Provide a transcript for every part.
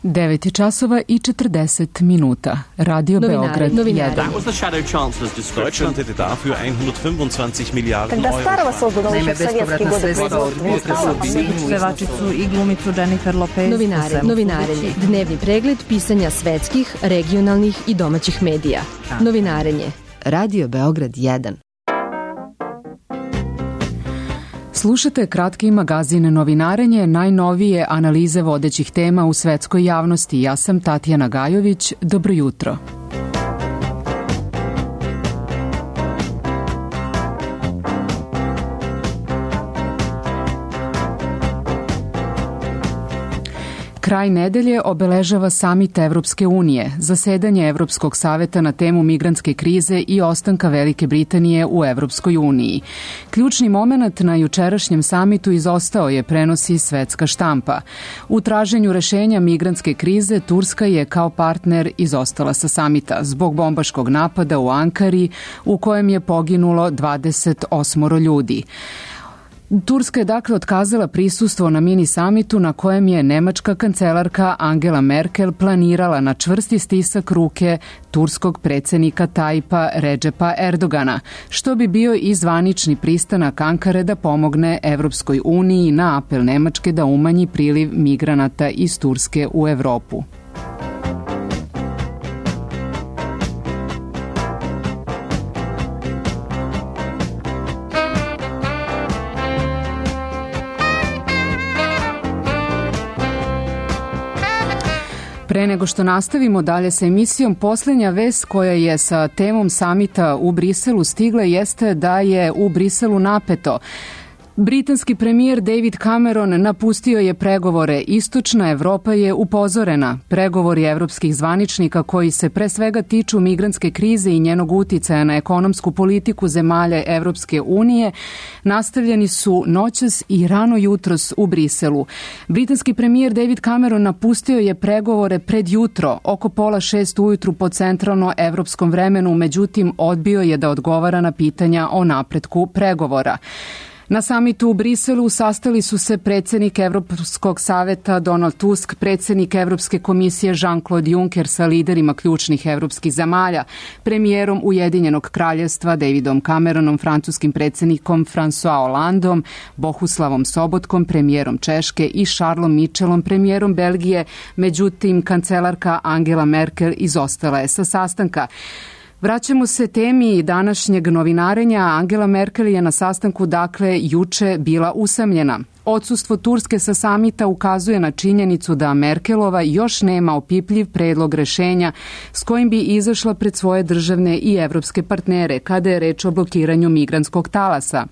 9 časova i 40 minuta. Radio Beograd 1. That was the shadow chancellor's description. Deutschland hätte dafür 125 Milliarden Euro. Naime, bespovratna sredstva od pevačicu i glumicu Jennifer Lopez. Novinarenje. Dnevni pregled pisanja svetskih, regionalnih i domaćih medija. Novinarenje. Radio Beograd 1. Slušate kratki magazin Novinarenje, najnovije analize vodećih tema u svetskoj javnosti. Ja sam Tatjana Gajović. Dobro jutro. Kraj nedelje obeležava samit Evropske unije, zasedanje Evropskog saveta na temu migrantske krize i ostanka Velike Britanije u Evropskoj uniji. Ključni moment na jučerašnjem samitu izostao je, prenosi svetska štampa. U traženju rešenja migrantske krize Turska je kao partner izostala sa samita zbog bombaškog napada u Ankari u kojem je poginulo 28 ljudi. Turska je dakle otkazala prisustvo na mini samitu na kojem je nemačka kancelarka Angela Merkel planirala na čvrsti stisak ruke turskog predsjednika Tajpa Redžepa Erdogana, što bi bio i zvanični pristanak Ankare da pomogne Evropskoj uniji na apel Nemačke da umanji priliv migranata iz Turske u Evropu. Pre nego što nastavimo dalje sa emisijom, posljednja vest koja je sa temom samita u Briselu stigla jeste da je u Briselu napeto. Britanski premijer David Cameron napustio je pregovore. Istočna Evropa je upozorena. Pregovori evropskih zvaničnika koji se pre svega tiču migrantske krize i njenog uticaja na ekonomsku politiku zemalja Evropske unije nastavljeni su noćas i rano jutros u Briselu. Britanski premijer David Cameron napustio je pregovore pred jutro, oko 5:30 ujutru po centralno evropskom vremenu, međutim odbio je da odgovara na pitanja o napretku pregovora. Na samitu u Briselu sastali su se predsjednik Evropskog saveta Donald Tusk, predsjednik Evropske komisije Jean-Claude Juncker sa liderima ključnih evropskih zemalja, premijerom Ujedinjenog kraljevstva Davidom Cameronom, francuskim predsjednikom François Hollandom, Bohuslavom Sobotkom, premijerom Češke i Charlesom Michelom, premijerom Belgije. Međutim, kancelarka Angela Merkel izostala je sa sastanka. Vraćamo se temi današnjeg novinarenja. Angela Merkel je na sastanku juče bila usamljena. Odsustvo Turske sa samita ukazuje na činjenicu da Merkelova još nema opipljiv predlog rešenja s kojim bi izašla pred svoje državne i evropske partnere kada je reč o blokiranju migrantskog talasa.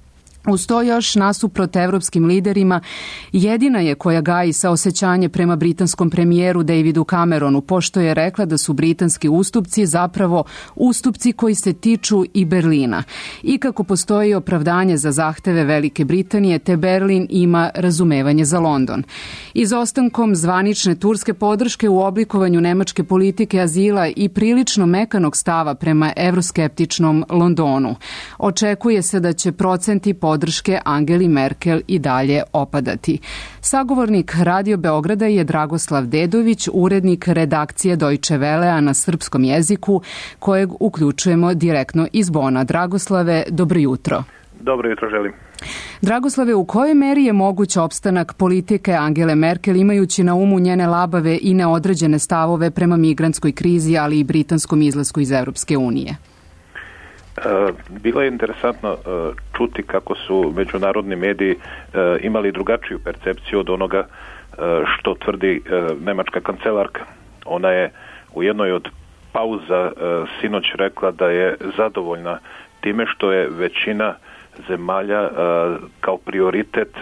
Uz to još nasuprot evropskim liderima jedina je koja gaji saosećanje prema britanskom premijeru Davidu Cameronu, pošto je rekla da su britanski ustupci zapravo ustupci koji se tiču i Berlina. I kako postoji opravdanje za zahteve Velike Britanije, te Berlin ima razumevanje za London. Izostankom zvanične turske podrške u oblikovanju nemačke politike azila i prilično mekanog stava prema evroskeptičnom Londonu, očekuje se da će procenti podrške Angeli Merkel i dalje opadati. Sagovornik Radio Beograda je Dragoslav Dedović, urednik redakcije Deutsche Wellea na srpskom jeziku, kojeg uključujemo direktno iz Bona. Dragoslave, dobro jutro. Dobro jutro želim. Dragoslave, u kojoj meri je moguć opstanak politike Angele Merkel imajući na umu njene labave i neodređene stavove prema migrantskoj krizi, ali i britanskom izlasku iz Evropske unije? Bilo je interesantno čuti kako su međunarodni mediji imali drugačiju percepciju od onoga što tvrdi nemačka kancelarka. Ona je u jednoj od pauza sinoć rekla da je zadovoljna time što je većina zemalja kao prioritet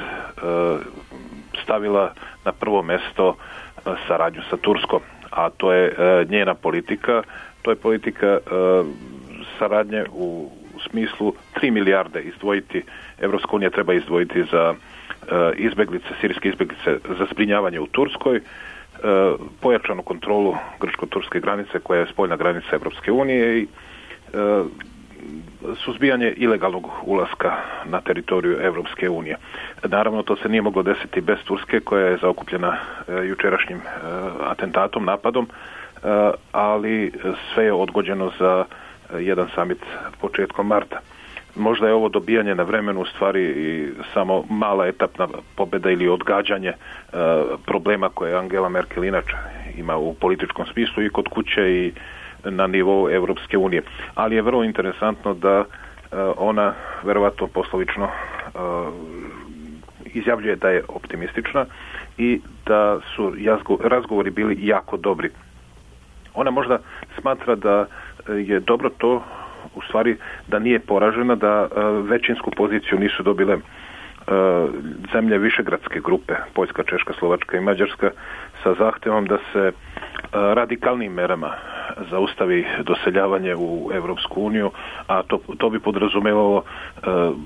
stavila na prvo mesto saradnju sa Turskom, a to je njena politika, to je politika saradnje u smislu 3 milijarde izdvojiti, Evropska unija treba izdvojiti za izbeglice, sirijske izbeglice za zbrinjavanje u Turskoj, pojačanu kontrolu grčko-turske granice koja je spoljna granica Evropske unije i suzbijanje ilegalnog ulaska na teritoriju Europske unije. Naravno, to se nije moglo desiti bez Turske, koja je zaokupljena jučerašnjim atentatom, napadom, ali sve je odgođeno za jedan samit početkom marta. Možda je ovo dobijanje na vremenu u stvari i samo mala etapna pobjeda ili odgađanje problema koje Angela Merkel inače ima u političkom smislu i kod kuće i na nivou Europske unije. Ali je vrlo interesantno da ona verovatno poslovično izjavljuje da je optimistična i da su razgovori bili jako dobri. Ona možda smatra da je dobro to u stvari da nije poražena, da većinsku poziciju nisu dobile zemlje višegradske grupe, Poljska, Češka, Slovačka i Mađarska, sa zahtjevom da se radikalnim merama zaustavi doseljavanje u Europsku uniju, a to bi podrazumevalo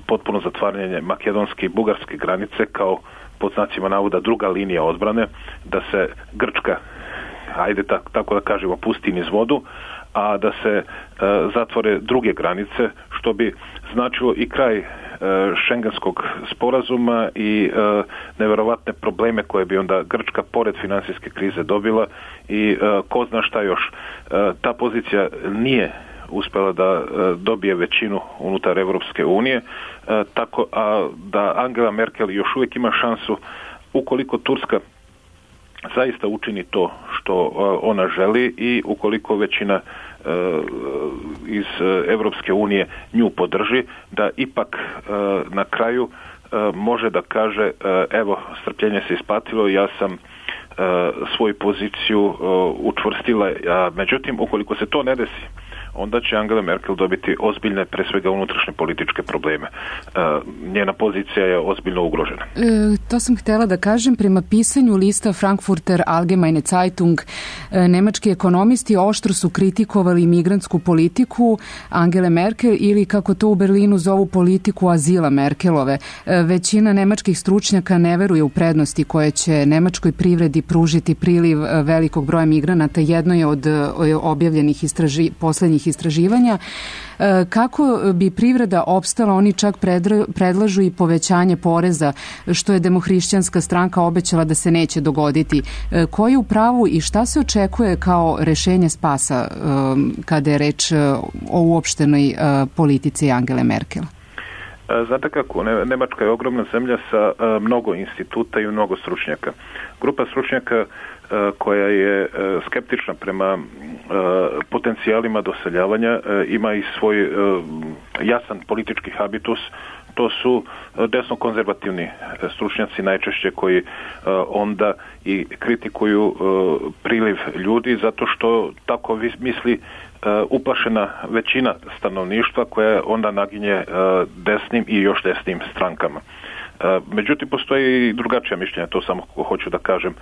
potpuno zatvaranje makedonske i bugarske granice kao, pod znacima navoda, druga linija odbrane, da se Grčka, ajde tako da kažemo, pusti niz vodu, a da se zatvore druge granice, što bi značilo i kraj šengenskog sporazuma i nevjerovatne probleme koje bi onda Grčka pored financijske krize dobila i ko zna šta još. Ta pozicija nije uspjela da dobije većinu unutar Europske unije, tako da Angela Merkel još uvijek ima šansu, ukoliko Turska zaista učini to što ona želi i ukoliko većina iz Europske unije nju podrži, da ipak na kraju može da kaže evo, strpljenje se isplatilo, ja sam svoju poziciju učvrstila. Međutim, ukoliko se to ne desi, onda će Angela Merkel dobiti ozbiljne, pre svega unutrašnje političke probleme. Njena pozicija je ozbiljno ugrožena. To sam htjela da kažem. Prema pisanju lista Frankfurter Allgemeine Zeitung, nemački ekonomisti oštro su kritikovali migrantsku politiku Angele Merkel ili, kako to u Berlinu zovu, politiku azila Merkelove. Većina nemačkih stručnjaka ne veruje u prednosti koje će nemačkoj privredi pružiti priliv velikog broja migranata. Jedno je od objavljenih posljednjih istraživanja. Kako bi privreda opstala, oni čak predlažu i povećanje poreza, što je Demohrišćanska stranka obećala da se neće dogoditi. Ko je u pravu i šta se očekuje kao rešenje spasa kada je reč o uopštenoj politici Angele Merkel? Znate kako, Nemačka je ogromna zemlja sa mnogo instituta i mnogo stručnjaka. Grupa stručnjaka koja je skeptična prema potencijalima doseljavanja ima i svoj jasan politički habitus. To su desno-konzervativni stručnjaci najčešće koji onda i kritikuju priliv ljudi zato što tako misli uplašena većina stanovništva koja onda naginje desnim i još desnim strankama. Međutim, postoji i drugačija mišljenja, to samo hoću da kažem.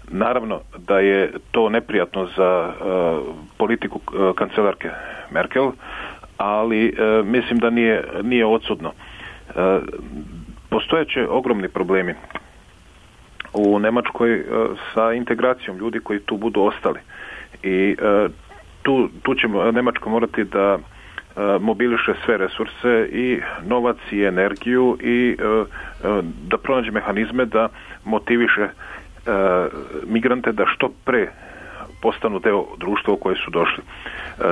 Naravno da je to neprijatno za politiku kancelarke Merkel, ali mislim da nije odsudno. Postojeće ogromni problemi u Nemačkoj sa integracijom ljudi koji tu budu ostali. I tu će Nemačka morati da mobiliše sve resurse i novac i energiju i da pronađe mehanizme da motiviše migrante da što pre postanu deo društva u koje su došli.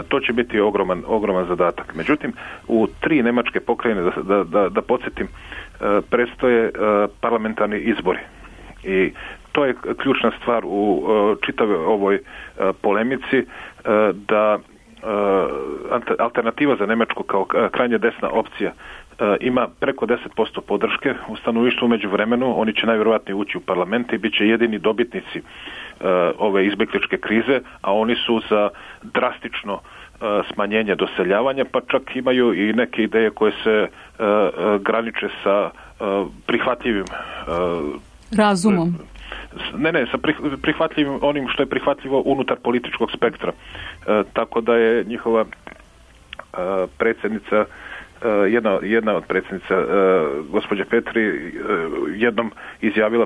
To će biti ogroman zadatak. Međutim, u 3 nemačke pokrajine, da podsjetim, predstoje parlamentarni izbori. I to je ključna stvar u čitavoj ovoj polemici, da alternativa za Nemačku kao krajnje desna opcija ima preko 10% podrške u stanovništvu. Među vremenu oni će najvjerojatnije ući u parlament i bit će jedini dobitnici ove izbjegličke krize, a oni su za drastično smanjenje doseljavanja, pa čak imaju i neke ideje koje se graniče sa prihvatljivim razumom. Sa prihvatljivim onim što je prihvatljivo unutar političkog spektra. Tako da je njihova predsjednica, jedna od predsjednica, gospođa Petri, jednom izjavila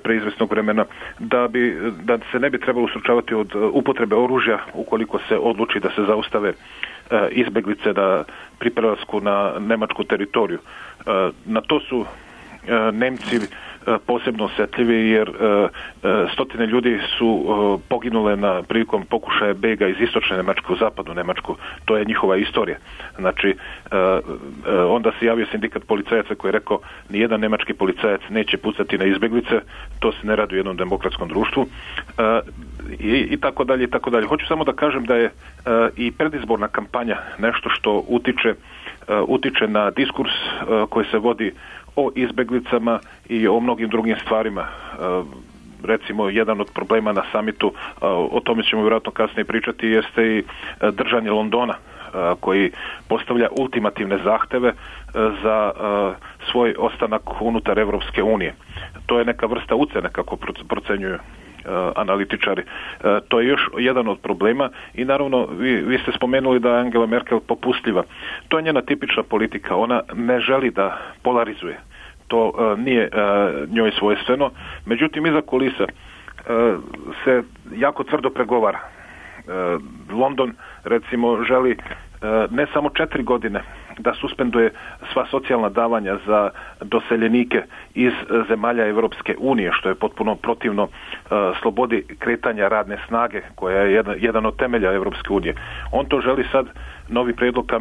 pre izvesnog vremena da se ne bi trebalo ustručavati od upotrebe oružja ukoliko se odluči da se zaustave izbeglice pri prelasku na nemačku teritoriju. Na to su Nemci posebno osjetljivi jer stotine ljudi su poginule prilikom pokušaja bega iz istočne Njemačke u zapadnu Njemačku. To je njihova istorija. Znači, onda se javio sindikat policajaca koji je rekao nijedan nemački policajac neće pucati na izbeglice, to se ne radi u jednom demokratskom društvu i tako dalje i tako dalje. Hoću samo da kažem da je i predizborna kampanja nešto što utiče na diskurs koji se vodi o izbeglicama i o mnogim drugim stvarima. Recimo, jedan od problema na samitu, o tome ćemo vjerojatno kasnije pričati, jeste i držanje Londona, koji postavlja ultimativne zahteve za svoj ostanak unutar Evropske unije. To je neka vrsta ucjene, kako procenjuju analitičari. To je još jedan od problema i naravno vi ste spomenuli da je Angela Merkel popustljiva. To je njena tipična politika. Ona ne želi da polarizuje. To nije njoj svojstveno. Međutim, iza kulisa se jako tvrdo pregovara. London, recimo, želi ne samo 4 godine da suspenduje sva socijalna davanja za doseljenike iz zemalja Evropske unije, što je potpuno protivno slobodi kretanja radne snage, koja je jedan od temelja Evropske unije. On to želi sad, novi prijedlog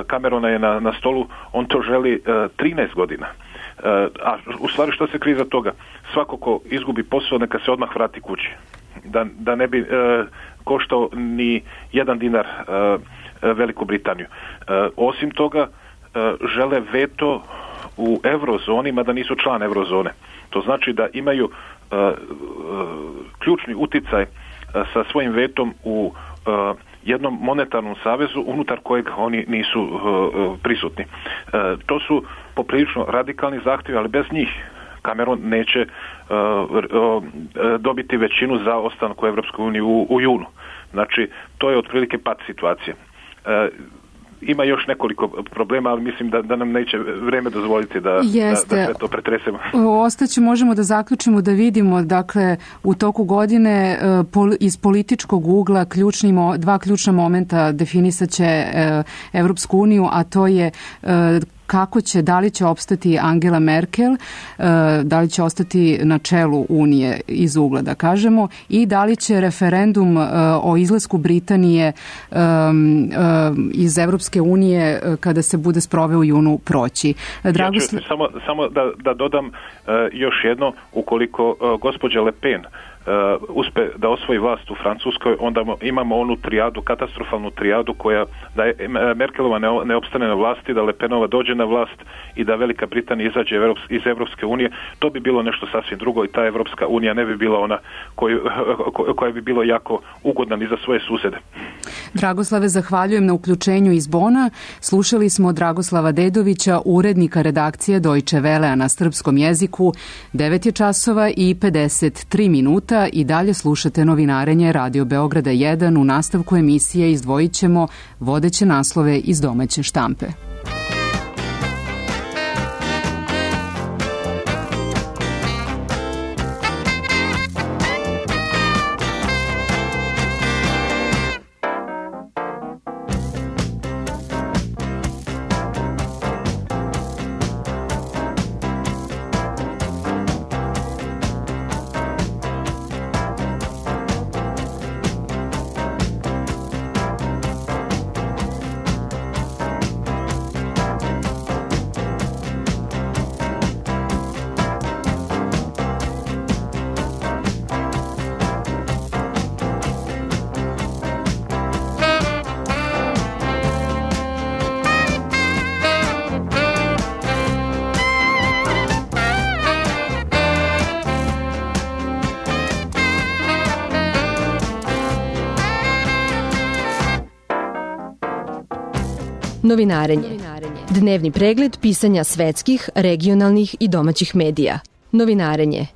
Camerona je na stolu, on to želi 13 godina. A u stvari što se krije za toga? Svako ko izgubi posao, neka se odmah vrati kući. Da ne bi koštao ni jedan dinar Veliku Britaniju. Osim toga, žele veto u eurozoni, mada nisu član eurozone. To znači da imaju ključni uticaj sa svojim vetom u jednom monetarnom savezu unutar kojeg oni nisu prisutni. To su poprilično radikalni zahtjevi, ali bez njih Cameron neće dobiti većinu za ostanak u Evropskoj uniji u junu. Znači, to je otprilike pad situacije. Ima još nekoliko problema, ali mislim da nam neće vreme dozvoliti da sve to pretresemo. Ostaće, možemo da zaključimo, da vidimo, dakle, u toku godine iz političkog ugla dva ključna momenta definisat će Evropsku uniju, a to je da li će opstati Angela Merkel, da li će ostati na čelu Unije iz ugla, da kažemo, i da li će referendum o izlasku Britanije iz Evropske unije kada se bude sproveo u junu proći. Samo da dodam još jedno, ukoliko gospođa Le Pen uspe da osvoji vlast u Francuskoj, onda imamo onu trijadu, katastrofalnu trijadu koja da je Merkelova ne opstane na vlasti, da Le Penova dođe na vlast i da Velika Britanija izađe iz Evropske unije. To bi bilo nešto sasvim drugo i ta Evropska unija ne bi bila ona koja bi bilo jako ugodna ni za svoje susede. Dragoslave, zahvaljujem na uključenju iz Bona. Slušali smo Dragoslava Dedovića, urednika redakcije Deutsche Wellea na srpskom jeziku. 9 je časova i 53 minuta i dalje slušate novinarenje Radio Beograda 1. U nastavku emisije izdvojit ćemo vodeće naslove iz domaće štampe. Novinarenje. Dnevni pregled pisanja svetskih, regionalnih i domaćih medija. Novinarenje.